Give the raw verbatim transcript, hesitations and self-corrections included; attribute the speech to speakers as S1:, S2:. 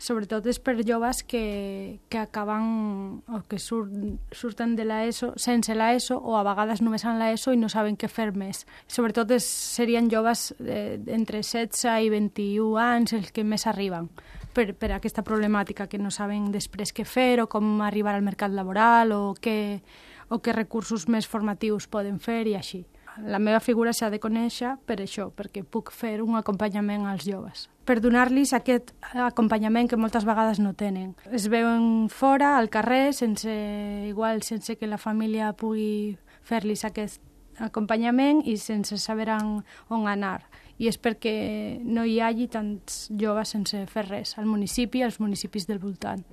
S1: Sobretot és per joves que, que acaben o que sur, surten de l'ESO sense l'ESO o a vegades només en l'ESO i no saben què fer més. Sobretot és, serien joves eh, entre setze i vint-i-u anys els que més arriben per, per aquesta problemàtica, que no saben després què fer o com arribar al mercat laboral o què, o què recursos més formatius poden fer i així. La meva figura s'ha de conèixer per això, perquè puc fer un acompanyament als joves, per donar-los aquest acompanyament que moltes vegades no tenen. Es veuen fora, al carrer, sense, igual sense que la família pugui fer-los aquest acompanyament i sense saber on anar. I és perquè no hi hagi tants joves sense fer res al municipi i als municipis del voltant.